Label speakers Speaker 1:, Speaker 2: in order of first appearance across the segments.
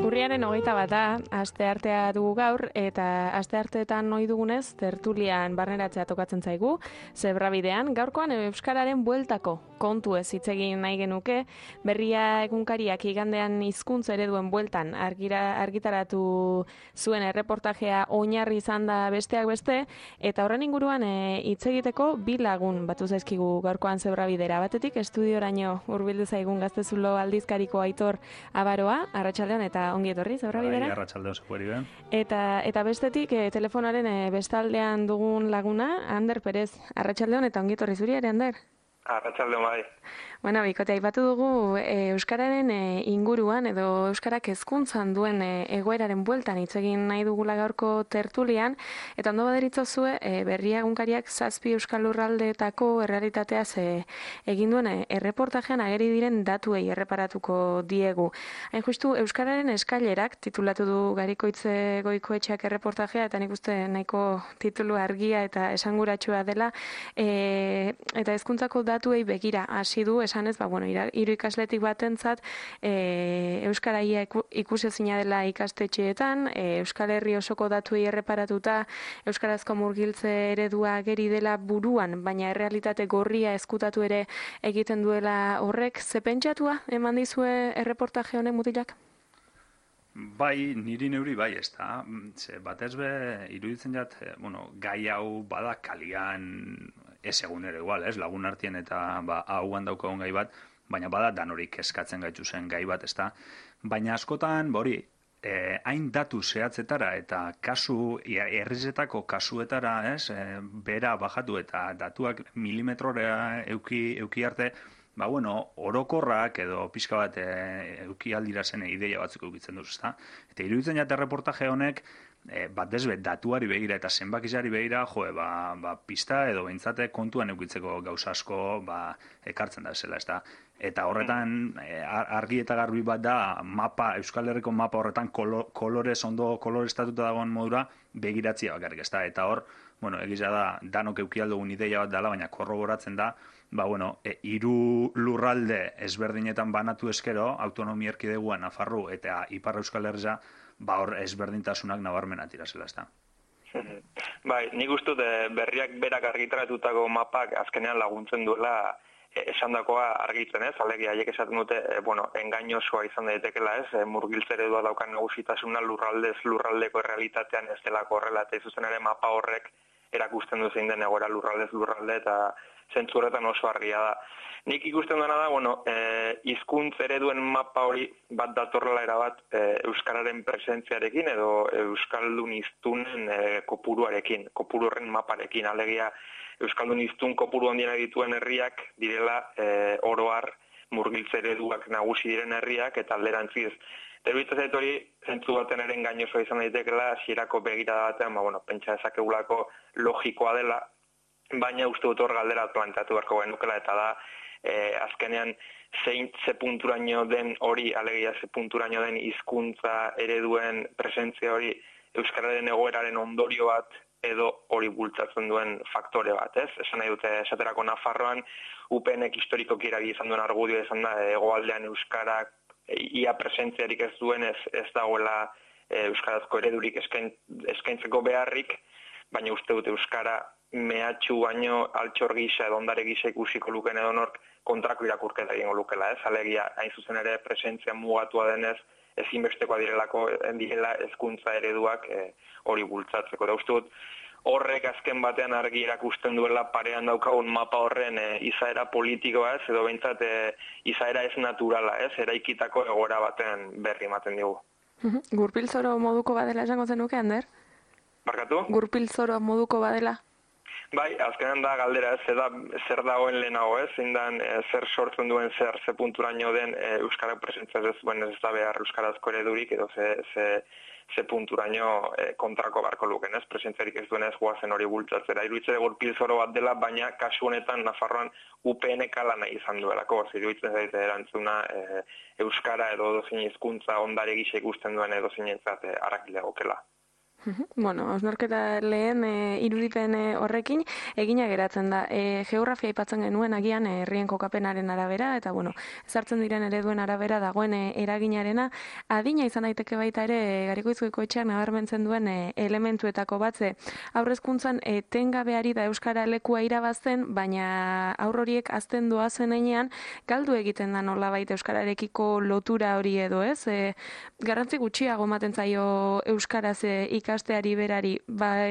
Speaker 1: Urriaren 21 asteartea dugu gaur, eta astearteetan ohi dugunez tertulian barneratzea tokatzen zaigu, Zebrabidean. Gaurkoan euskararen bueltako kontu ez hitz egin nahi genuke, Berria egunkariak igandean hizkuntza ereduen bueltan argitaratu zuen erreportajea oinarri izan da besteak beste, eta horren inguruan hitz egiteko bi lagun batu zaizkigu gaurkoan Zebrabidera. Batetik estudioraino hurbildu zaigun Gaztezulo aldizkariko Aitor Abaroa, arratsaldean eta ongi etorri Zebrabidera.
Speaker 2: Arratsaldeon zueri ben.
Speaker 1: Eta bestetik telefonaren bestaldean dugun laguna, Ander Perez, arratsaldeon eta ongi etorri zuri ere, Ander.
Speaker 3: Arratsaldeon bai.
Speaker 1: Bueno, bikote, aipatu dugu euskararen inguruan edo euskarak hezkuntzan duen egoeraren bueltan hitz egin nahi dugula gaurko tertulian, eta ondo baderitzozue Berria egunkariak 7 euskal lurraldeetako errealitateaz egin duen erreportajean ageri diren datuei erreparatuko diegu. Hain justu euskararen eskailerak titulatu du Garikoitze Goikoetxeak erreportajea, eta nik uste nahiko titulu argia eta esanguratsua dela, eta hezkuntzako datuei begira hasi du esanez, hiru ikasletik batentzat euskaraia ikusezina dela ikastetxeetan, Euskal Herri osoko datuei erreparatuta euskarazko murgiltze eredua ageri dela buruan, baina errealitate gorria ezkutatu ere egiten duela horrek. Ze pentsatua eman dizue erreportaje honek mutilak?
Speaker 2: Bai, niri neuri bai, ez da. Batez be, iruditzen jat, gai hau bada kalian ez egunero igual, ez, lagun artien eta hauan daukagun gai bat, baina bada danorik eskatzen gaitu zen gai bat, ez da. Baina askotan, hain datu zehatzetara eta kasu, errizetako kasuetara, ez, bera bajatu eta datuak milimetrora euki arte, orokorrak edo pixka bat euki aldira zen ideia batzuk eukitzen duz, ezta? Eta iruditzen jate reportaje honek, batez be, datuari begira eta zenbakizari begira, pista edo behintzate kontuan eukitzeko gauza asko ekartzen da zela, ezta? Eta horretan, argi eta garbi bat da, Euskal Herriko mapa horretan ondo koloreztatuta dagoen modura begiratzia bakarrik, ezta? Eta hor, egiza da, danok euki aldugun ideia bat dela, baina korroboratzen da, hiru lurralde ezberdinetan banatu eskero, autonomia erkideguan Nafarru eta Ipar Euskal Herria, hor ezberdintasunak nabarmena tirazela, ezta.
Speaker 3: Bai, nik uste Berriak berak argitaratutako mapak azkenean laguntzen duela esandakoa argitzen, ez? Alegia, haiek esaten dute, engainosoa izan daitekela, ez? Murgiltze eredua daukan nagusitasuna lurraldeko errealitatean ez delako horrela, eta zuzen ere mapa horrek erakusten du zein den egoera lurralde eta zentzu horretan oso argia da. Nik ikusten dena da, hizkuntza ereduen mapa hori bat datorrela erabat euskararen presentziarekin edo euskaldun hiztunen kopuruarekin, kopuru horren maparekin. Alegia, euskaldun hiztun kopuru handiena dituen herriak direla oro har murgiltze ereduak nagusi diren herriak eta alderantziz. Terbitza zait hori, zentzu baten ere engainosoa izan daitekela, hasierako begirada batean, pentsa dezakegulako logikoa dela, baina uste dut hor galdera planteatu beharko genukela, eta da, azkenean ze punturaino den hori, alegia ze punturaino den hizkuntza ereduen presentzia hori euskararen egoeraren ondorio bat edo hori bultzatzen duen faktore bat, ez? Esan nahi dute, esaterako Nafarroan, UPNek historikoki erabili izan duen argudioa izan da, hegoaldean euskarak ia presentziarik ez duen ez dagoela euskarazko eredurik eskaintzeko beharrik, baina uste dute euskara mehatxu baino altxor gisa edo ondare gisa ikusiko luken edo nork kontrako irakurketa egingo lukela, ez? Alegia, hain zuzen ere presentzia mugatua denez, ezinbestekoa direla hezkuntza ereduak hori bultzatzeko. Da uste dut, horrek azken batean argi erakusten duela parean daukagun mapa horren izaera politikoa, ez? Edo behintzat izaera ez naturala, ez? Eraikitako egoera baten berri ematen digu.
Speaker 1: Gurpilzoro moduko badela esango zenuke, Ander?
Speaker 3: Barkatu?
Speaker 1: Gurpilzoro moduko badela?
Speaker 3: Bai, azkenan da galdera, zer dagoen lehenago, ez? Zindan, zer sortzen duen ze punturaino den euskara presentzia ez duen ez da behar euskarazko eredurik edo ze punturaino kontrako barko luken, ez? Presentziarik ez duen ez guazen hori bultzatzera. Iruditzen gurpilzoro bat dela, baina kasu honetan Nafarroan UPNek ala nahi izan duelako. Iruditzen zaite erantzuna euskara edo dozin hizkuntza ondare gisa ikusten duen edo zinentzat arrakile gokela.
Speaker 1: Bueno, hausnarketa lehen irudipen horrekin egina geratzen da. Geografia aipatzen genuen agian herrien kokapenaren arabera, eta bueno, ezartzen diren ereduen arabera dagoen eraginarena, adina izan daiteke baita ere Garikoizko etxeak nabarmentzen duen elementuetako batze. Haurrezkuntzan etengabeari da euskara lekua irabazten, baina haur horiek azten doazen heinean galdu egiten da nolabait euskararekiko lotura hori edo, ez? Garrantzi gutxiago ematen zaio euskaraz ikasteari berari,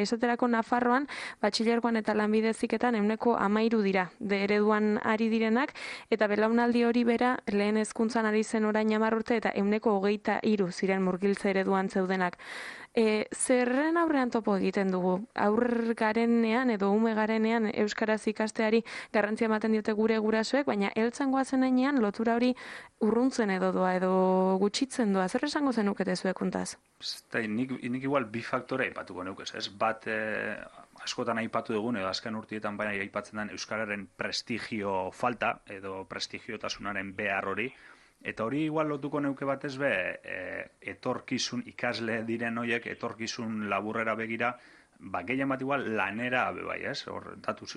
Speaker 1: esaterako Nafarroan, batxilergoan eta lanbide heziketan 13% dira, ereduan ari direnak, eta belaunaldi hori bera, lehen hezkuntzan ari zen orain 10 urte, eta 23% ziren murgiltze ereduan zeudenak. Zerren aurrean topo egiten dugu? Aurr garenean edo ume garenean euskaraz ikasteari garrantzia ematen diote gure gurasoek, baina heltzen goazen heinean lotura hori urruntzen edo doa, edo gutxitzen doa. Zer esango zenukete zuek kontaz?
Speaker 2: Nik igual bi faktore aipatuko neukez, ez? Bat, askotan aipatu dugun, edo azken urtietan baina aipatzen den euskararen prestigio falta, edo prestigiotasunaren behar hori, eta hori igual lotuko neuke batez be, etorkizun ikasle diren horiek, etorkizun laburrera begira, gehien bat igual lanera bai, ez? Hor, datuz,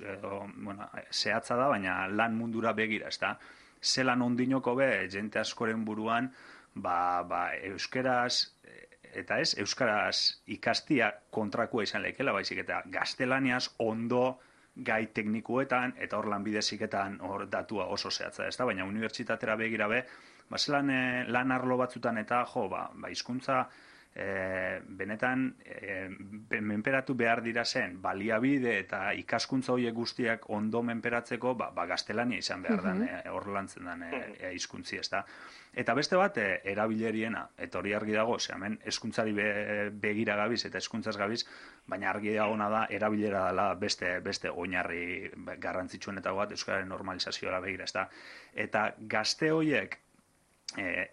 Speaker 2: zehatza da, baina lan mundura begira, ez da? Zelan ondinoko be, jente askoren buruan, euskeraz, eta ez, euskaraz ikastia kontrakua izan leikela, baizik eta gaztelaniaz ondo gai teknikuetan, eta hor lanbide heziketan hor datua oso zehatza, ez da? Baina unibertsitatera begira be, zelan lan arlo batzutan eta hizkuntza benetan menperatu behar dira zen baliabide eta ikaskuntza horiek guztiak ondo menperatzeko gaztelania izan behar den hor lantzen den hizkuntzi, ez da. Eta beste bat erabileriena, eta hori argi dago, hemen hezkuntzari begira gabiz eta hezkuntzaz gabiz, baina argi dagona da erabilera dela beste oinarri garrantzitsuenetako bat euskararen normalizazioa begira, ez da. Eta gazte horiek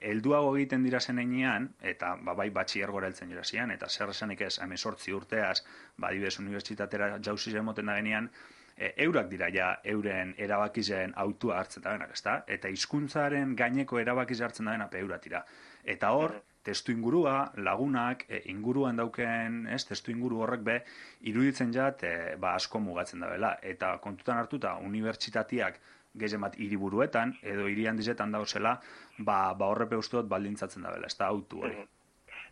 Speaker 2: helduago egiten dira zen heinean, eta bai batxillergora heltzen dira zian, eta zer esanik ez 18 urteaz, adibidez unibertsitatera jauzi emoten da genean, eurak dira ja euren erabakizen autua hartzen da benak, ezta? Eta hizkuntzaren gaineko erabakiz hartzen da benak eurat dira. Eta hor, testu ingurua, lagunak, inguruan dauken, testu inguru horrek be, iruditzen jat, asko mugatzen da bela. Eta kontutan hartuta, unibertsitatiak gehien bat hiriburuetan edo hiri handizetan dauzela, horrepe usteot baldintzatzen da bela, ez da autu hori.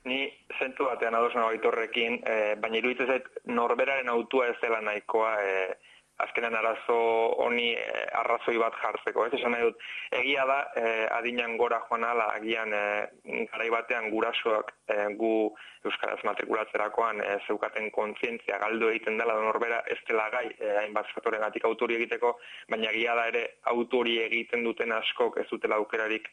Speaker 3: Ni zentu batean ados nago Aitorrekin, baina iruditzen zait norberaren autua ez dela nahikoa azkenan arazo honi arrazoi bat jartzeko. Ez esan nahi dut, egia da adinan gora joan ala, agian garai batean gurasoak gu euskaraz matrikulatzerakoan zeukaten kontzientzia galdu egiten dela norbera ez dela gai hainbat faktorengatik autori egiteko, baina egia da ere autori egiten duten askok ez dutela aukerarik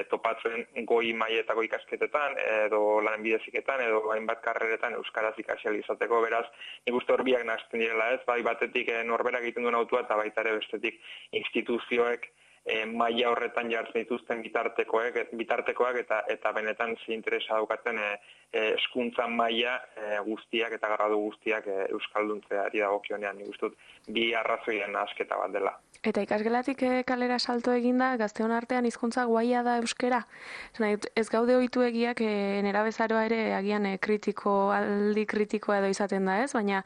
Speaker 3: topatzen goi mailetako ikasketetan edo lanbide heziketan edo hainbat karreretan euskaraz ikasi ahal izateko, beraz nik uste hor biak nahasten direla, ez? Bai batetik norberak egiten duen autua eta baita ere bestetik instituzioek maila horretan jartzen dituzten bitartekoak eta benetan ze interesa daukaten hezkuntza maila guztiak eta gradu guztiak euskalduntzeari dagokionean, nik uste dut bi arrazoien nahasketa bat dela.
Speaker 1: Eta ikasgelatik kalera salto eginda, gazteon artean hizkuntza guaia da euskera. Ez gaude ohitu egiak nerabezaroa ere agian aldi kritikoa edo izaten da, ez? Baina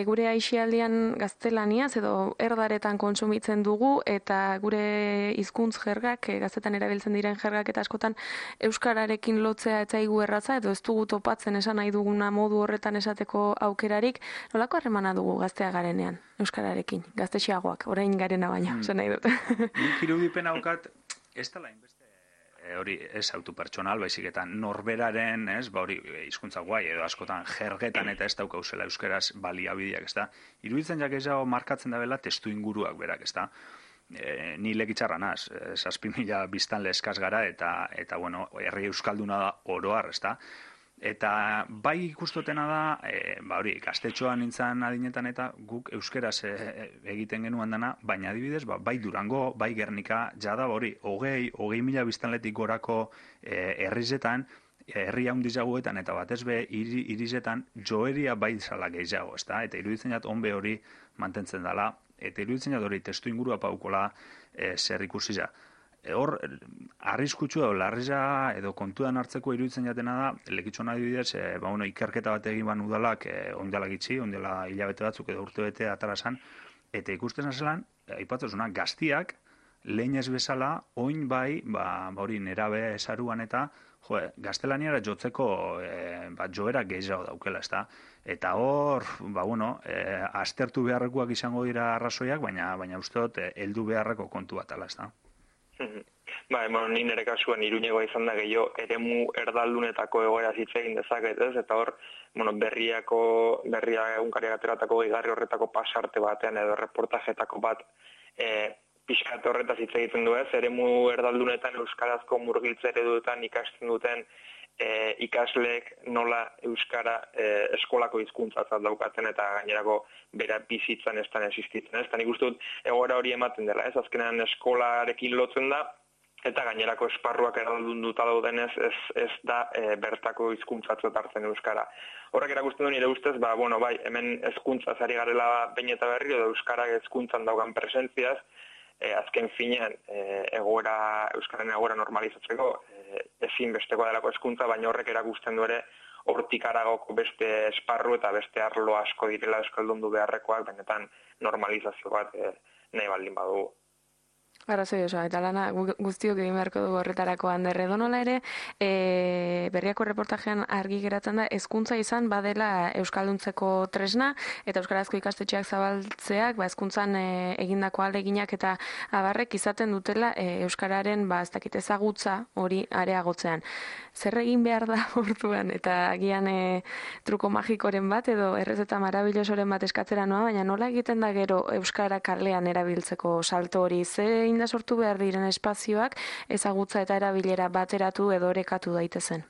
Speaker 1: gure aisialdian gaztelaniaz edo erdaretan kontsumitzen dugu eta gure hizkuntz jergak, gaztetan erabiltzen diren jergak eta askotan euskararekin lotzea etzaigu erratza edo ez dugu topatzen esan nahi duguna modu horretan esateko aukerarik. Nolako harremana dugu gaztea garenean euskararekin, gaztexiagoak, orain garena baina, esan nahi dut.
Speaker 2: Nik irudipen haukat, ez dela inbeste hori ez autopertsonal, baizik eta norberaren, ez, hori hizkuntza guai edo askotan jergetan eta ez daukauzela euskeraz baliabideak, ez da. Iruditzen jak ezago markatzen da bela testu inguruak berak, ez da. Ni lekitzarra naz, 7.000 biztanle eskaz gara eta herri euskalduna da oroar, ez da. Eta bai ikustotena da, hori, gaztetxoan nintzen adinetan eta guk euskeraz egiten genuan dana, baina adibidez, bai Durango, bai Gernika, jada hori, 20.000 biztanletik gorako herrizetan, herri handizagoetan eta batez be irizetan joeria bai zala gehiago, ezta? Eta iruditzen jat onbe hori mantentzen dela, eta iruditzen jat hori testu ingurua paukola zer ikusi ja. hor, arriskutsu edo larria edo kontuan hartzeko iruditzen jatena da, lekitxona adibidez, ikerketa bat egin ban udalak, ondela gitxi, ondela hilabete batzuk edo urte bete atarasan, eta ikusten zelan, aipatzezuna, gaztiak, lehen ez bezala, oin bai, hori nerabe esaruan eta, gaztelaniara jotzeko joera gehiago daukela, ezta? Eta hor, aztertu beharrekoak izango dira arrazoiak, baina uste dut, heldu beharreko kontu bat ala, ezta?
Speaker 3: Ni nire kasuan Iruñegoa izan da gehiago eremu erdaldunetako egoera hitz egin dezaket, ez? Eta hor, berria egunkariak ateratako gehigarri horretako pasarte batean edo reportajetako bat pixkat horretaz hitz egiten du, ez? Eremu erdaldunetan euskarazko murgiltze ereduetan ikasten duten ikasleek nola euskara eskolako hizkuntzatzat daukaten eta gainerako bera bizitzan ez tan existitzen, ez? Eta nik uste dut egoera hori ematen dela, ez? Azkenean eskolarekin lotzen da, eta gainerako esparruak eraldunduta daudenez ez da bertako hizkuntzatzat hartzen euskara. Horrek erakusten du nire ustez, hemen hezkuntzaz ari garela behin eta berri edo euskara hezkuntzan daukan presentziaz, azken finean euskararen egoera normalizatzeko ezinbestekoa delako hezkuntza, baina horrek erakusten du ere hortik haragoko beste esparru eta beste arlo asko direla euskaldundu beharrekoak, benetan normalizazio bat nahi baldin badugu.
Speaker 1: Arrazoi oso, eta lana guztiok egin beharko dugu horretarako Ander. Edonola ere, berriako reportajean argi geratzen da, hezkuntza izan badela euskalduntzeko tresna, eta euskarazko ikastetxeak zabaltzeak, hezkuntzan egindako ahaleginak eta abarrek izaten dutela euskararen ez dakit ezagutza hori areagotzean. Zer egin behar da orduan, eta agian truko magikoren bat, edo errezeta marabillosoren bat eskatzera noa, baina nola egiten da gero euskara kalean erabiltzeko salto hori, zein da sortu behar diren espazioak ezagutza eta erabilera bateratu edo orekatu daitezen.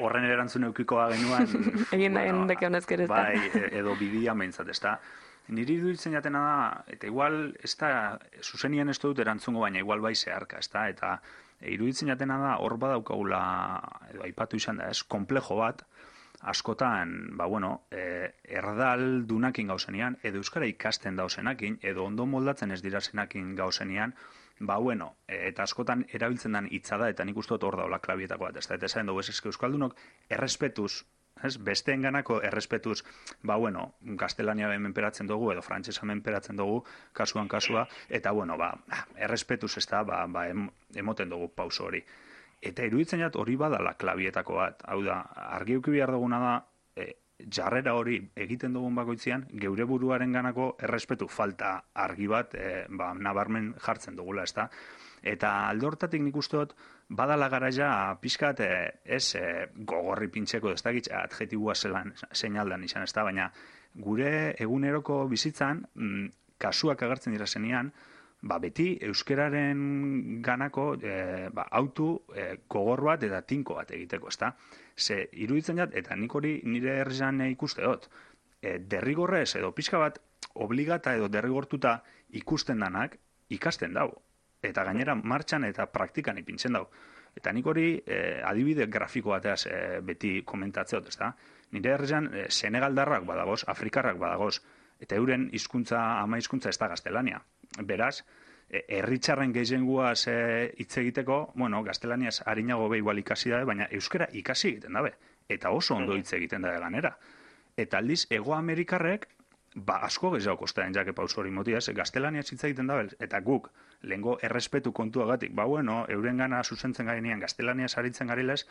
Speaker 2: Horren erantzun eukikoa genuan
Speaker 1: egin da gendeke honezker ez da.
Speaker 2: Edo bidia meintzat, ez da. Niri iruditzen jatena da, eta igual, ez da, zuzenien ez dut erantzungo, baina igual bai zeharka, ez da, eta iruditzen jatena da, hor badaukagula, edo aipatu izan da, ez, komplejo bat, askotan, erdaldunakin gauzenean, edo euskara ikasten dauzenakin, edo ondo moldatzen ez dirazenakin gauzenean, eta askotan erabiltzen den hitza da, eta nik uste dut hor daula klabietako bat, eta esan dugu, euskaldunok errespetuz, besteen ganako errespetuz, gaztelania menperatzen dugu, edo frantsesa menperatzen dugu, kasuan kasua, eta errespetuz ez da, emoten dugu pauso hori. Eta iruditzen jat hori badala klabietako bat. Hau da, argi eduki behar duguna da, jarrera hori egiten dugun bakoitzean, geure buruaren ganako errespetu falta argi bat nabarmen jartzen dugula, ezta? Eta alde hortatik nik uste dut, badala garaia pixkat gogorri pintxeko, ez da gitz, adjetibua seinaldan izan, ezta? Baina gure eguneroko bizitzan, kasuak agertzen dira zenean, beti euskararen ganako autu gogor bat eta tinko bat egiteko, ezta? Ze iruditzen jat, eta nik hori nire herrian ikuste dut, derrigorrez edo pixka bat obligata edo derrigortuta ikusten danak ikasten dau. Eta gainera martxan eta praktikan ipintzen dau. Eta nik hori adibide grafiko bateaz beti komentatzeot, ezta? Nire herrian senegaldarrak badagoz, afrikarrak badagoz, eta euren ama hizkuntza ez da gaztelania. Beraz, herritxarren gehienguaz hitz egiteko, gaztelaniaz harinago igual ikasi dabe, baina euskara ikasi egiten dabe. Eta oso ondo hitz egiten dabe ganera. Eta aldiz, Ego Amerikarrek, asko gehiago kostaren jake pauso hori motiaz, gaztelaniaz hitz egiten dabe, eta guk, lehengo errespetu kontuagatik, euren gana zuzentzen garenean gaztelaniaz haritzen garilez,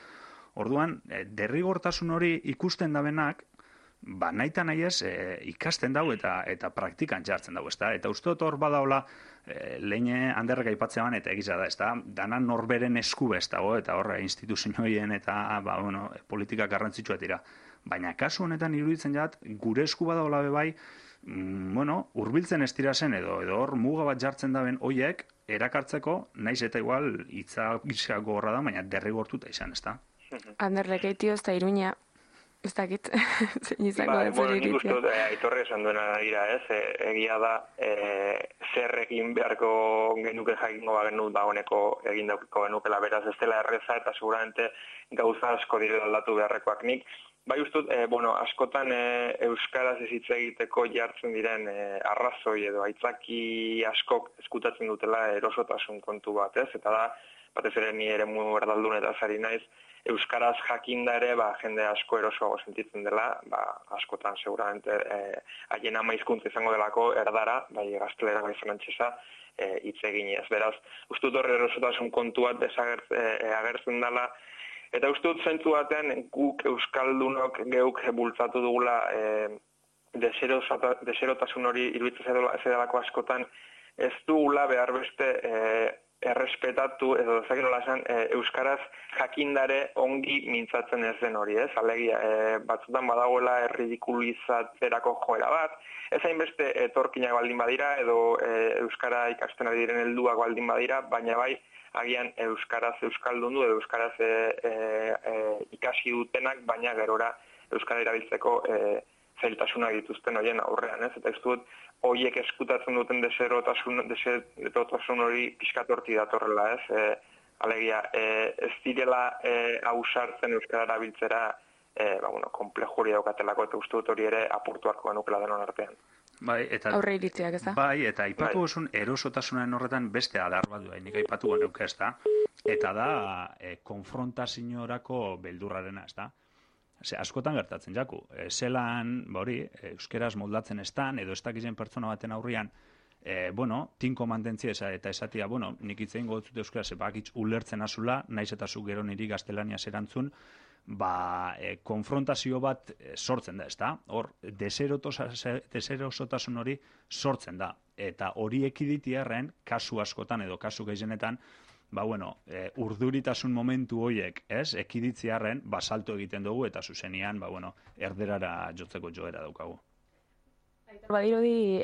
Speaker 2: orduan, derrigortasun hori ikusten dabenak, nahi nahi ez ikasten dau eta praktikan jartzen dau, ezta? Eta uste dut hor badaula lehen Anderrek aipatzean eta egiza da, ezta? Dana norberen esku ez dago, eta hor instituzioen eta politika garrantzitsuak dira. Baina kasu honetan iruditzen jat, gure esku badaula bebai, hurbiltzen ez dira zen edo hor muga bat jartzen daben hoiek erakartzeko, naiz eta igual hitza gogorra da, baina derrigortuta izan, ezta?
Speaker 1: Anderrek eitio ez da Iruña, ez dakit, zein izango da zer iritzia.
Speaker 3: Nik uste dut, aitorre esan duena dira, ez? Egia da, zer egin beharko genuke jakingo bagenu dagoeneko egin daukiko genukela, beraz ez dela erreza eta seguramente gauza asko direla aldatu beharrekoak nik. Bai ustut, askotan euskaraz ez hitz egiteko jartzen diren arrazoi edo aitzaki askok eskutatzen dutela erosotasun kontu bat, ez? Eta da, batez ere ni eremu erdaldun eta zari naiz, euskaraz jakinda ere, jende asko erosoago sentitzen dela, askotan seguramente haien ama hizkuntza izango delako erdara, bai gaztelera bai frantsesa, hitz eginez. Beraz, ustut horre erosotasun kontu bat agertzen dela, eta ustut zentzu batean guk euskaldunok geuk bultzatu dugula deserotasun hori iruditzen zedalako askotan ez dugula behar beste errespetatu edo ezakin nola esan euskaraz jakindare ongi mintzatzen ez den hori, ez? Alegia, batzutan badagoela erridikulizatzerako joera bat, ez hainbeste etorkinak baldin badira edo euskara ikasten ari diren helduak baldin badira, baina bai agian euskaraz euskaldundu edo euskaraz ikasi dutenak, baina gerora euskara erabiltzeko zailtasunak dituzten horien aurrean, ez? Eta ez dut, horiek eskutatzen duten deserotasun hori pixkat hortik datorrela, ez? Alegia, ez direla ausartzen euskara erabiltzera, komplejo hori daukatelako, eta uste dut hori ere apurtuarko genukela denon artean.
Speaker 2: Bai, eta
Speaker 1: aurre iritziak, ez da?
Speaker 2: Bai, eta aipatu osun erosotasunaren horretan beste adar bat du, nik aipatu genuke, ez da? Eta da, konfrontaziorako beldurrarena, ez da? Askotan gertatzen jaku. Zelan, euskeraz moldatzen estan, edo ez dakizen pertsona baten aurrian, tinko mantentzia eta esatia, nik itzein gotzut euskaraz, bakitz ulertzen azula, naiz eta zu gero niri gaztelania zerantzun, konfrontazio bat sortzen da, ezta? Hor, deserosotasun hori sortzen da. Eta hori ekiditiarren, kasu askotan edo kasu gehienetan, urduritasun momentu hoiek, ez? Ekiditziarren, salto egiten dugu eta zuzenian, erderara jotzeko joera daukagu.
Speaker 1: Badirudi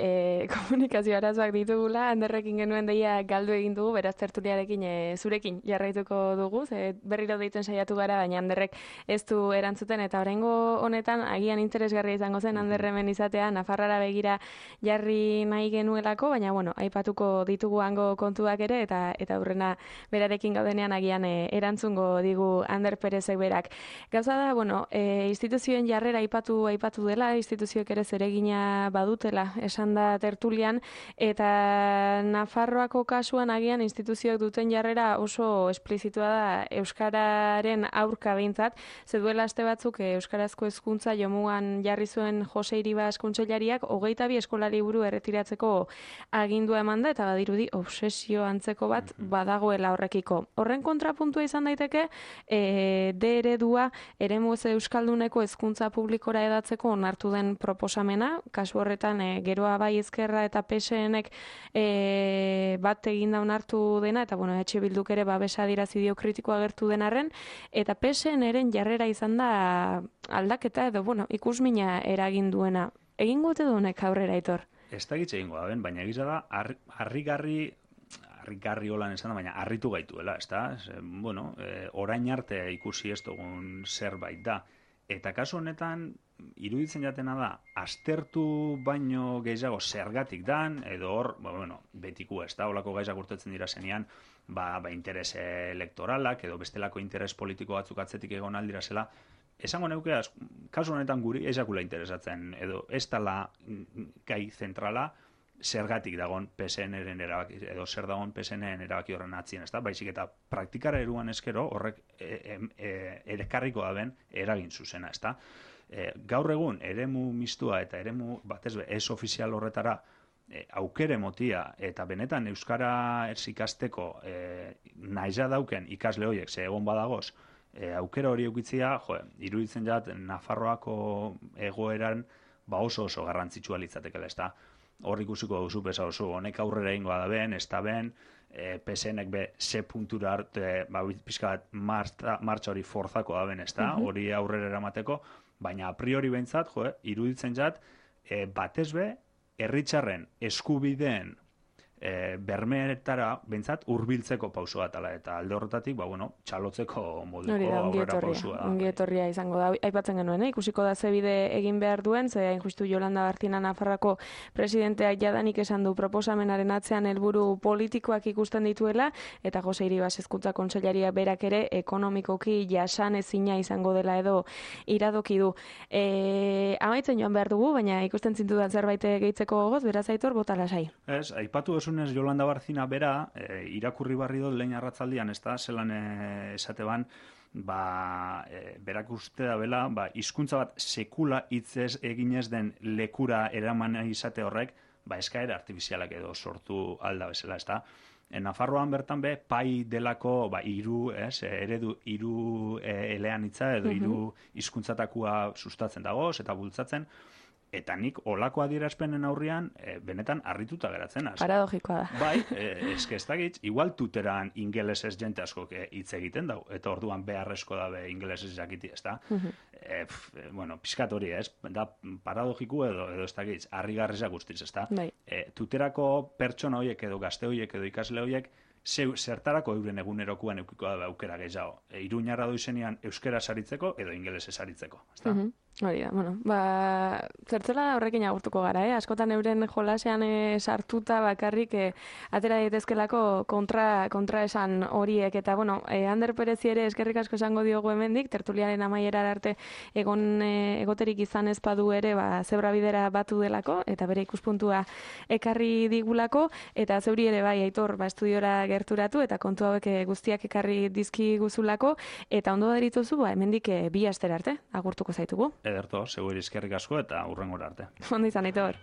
Speaker 1: komunikazio arazoak ditugula, Anderrekin genuen deia galdu egin dugu, beraz tertuliarekin zurekin jarraituko dugu, berriro deitzen saiatu gara, baina Anderrek ez du erantzuten, eta oraingo honetan agian interesgarria izango zen Anderremen izatea, Nafarrara begira jarri nahi genuelako, baina aipatuko ditugu hango kontuak ere, eta aurrena berarekin gaudenean agian erantzungo digu Ander Perezek berak. Gauza da, instituzioen jarrera aipatu dela, instituzioek ere zeregina badutela, esan da tertulian, eta Nafarroako kasuan agian instituzioek duten jarrera oso esplizitua da euskararen aurka behintzat, ze duela aste batzuk euskarazko hezkuntza jomugan jarri zuen Jose Iribas kontseilariak 22 eskola liburu erretiratzeko agindua eman da, eta badirudi obsesio antzeko bat badagoela horrekiko. Horren kontrapuntua izan daiteke, D eredua eremu euskalduneko hezkuntza publikora edatzeko onartu den proposamena, kasu horretan geroa bai Ezkerra eta PSNek bat eginda onartu dena, eta EH Bilduk ere babesa adierazi dio kritikoa agertu denarren, eta PSNren jarrera izan da aldaketa edo ikusmina eragin duena. Egingo ote du honek aurrera, Aitor?
Speaker 2: Ez da gitze egingo da, baina egiza da, harrigarri holan esan da, baina harritu gaituela, ez da? Orain arte ikusi ez dugun zerbait da. Eta kasu honetan, iruditzen jatena da, aztertu baino gehiago zergatik dan, edo hor, betiko ez da, holako gaizak urtetzen dira zenean, interes elektoralak, edo bestelako interes politiko batzuk atzetik egon aldira zela, esango neuke, kasu honetan guri ezakula interesatzen, edo ez dala gai zentrala, zergatik dagon PSN-eren erabaki, edo zer dagon PSN-eren erabaki horren atzien, ez da? Baizik eta praktikara eruan eskero horrek erekarriko da ben eragin zuzena, ez da? Gaur egun, eremu mistua eta eremu batez ez ofizial horretara aukere motia eta benetan euskara ikasteko nahiza dauken ikasle horiek ze egon badagoz, aukera hori eukitzia, iruditzen jat Nafarroako egoeran oso garrantzitsua litzatekela, ez da? Hor ikusiko duzu pesa oso, honek aurrera ingoa da ben, ez da ben, PSNek be ze puntura arte, pixkat martxa hori forzako da ben, ez da? Hori aurrera eramateko, baina a priori behintzat, iruditzen jat, batez be, herritarren eskubideen bermeetara bentsat hurbiltzeko pauso bat ala, eta alde horretatik, txalotzeko moduko aurrera pausua.
Speaker 1: Ongi etorria izango da. Aipatzen genuen, ikusiko da ze bide egin behar duen, ze hain justu Yolanda Barcina Nafarroako presidenteak jadanik esan du proposamenaren atzean helburu politikoak ikusten dituela, eta Jose Iribas Hezkuntza Kontseilaria berak ere ekonomikoki jasan ezina izango dela edo iradoki du. Amaitzen joan behar dugu, baina ikusten zintudan zerbait gehitzeko gogoz, beraz Aitor, bota lasai.
Speaker 2: Ez, aipatu esunez Yolanda Barcina bera, irakurri barri dut lehen arratzaldian, ez da, zelan esate ban, berak uste da bela, hizkuntza bat sekula hitzez eginez den lekura eraman izate horrek, eskaera artifizialak edo sortu alda bezala, ez da. Nafarroan bertan be, pai delako eredu hiru eleanitza edo hiru hizkuntzatakoa sustatzen dagoz eta bultzatzen, eta nik olako adierazpenen aurrian benetan harrituta geratzen.
Speaker 1: Paradogikoa da.
Speaker 2: Bai, ez dakit, igual tuteran ingelesez jente askok hitz egiten dau, eta orduan beharrezko dabe ingelesez jakiti, ez da? Pixkat hori, ez? Da paradogiko edo ez dakit, harrigarrizak guztiz, ez da? Tuterako pertsona horiek edo gazte horiek edo ikasle horiek zertarako euren egunerokoan eukiko da aukera gehiago. Iruñarra doizenean euskera saritzeko edo ingelesez saritzeko, ez da?
Speaker 1: Hori da, zertzela horrekin agurtuko gara, askotan euren jolasean sartuta bakarrik atera daitezkelako kontra esan horiek, eta Ander Perezi ere eskerrik asko esango diogu hemendik, tertuliaren amaiera arte egoterik izan ez badu ere zebra bidera batu delako, eta bere ikuspuntua ekarri digulako, eta zeuri ere bai, Aitor, estudiora gerturatu, eta kontu hauek guztiak ekarri dizki guzulako, eta ondo darituzu, hemendik bi astera arte, agurtuko zaitugu.
Speaker 2: Ederto, seguri eskerrik asko eta hurrengora arte.
Speaker 1: Ondo izan, Aitor.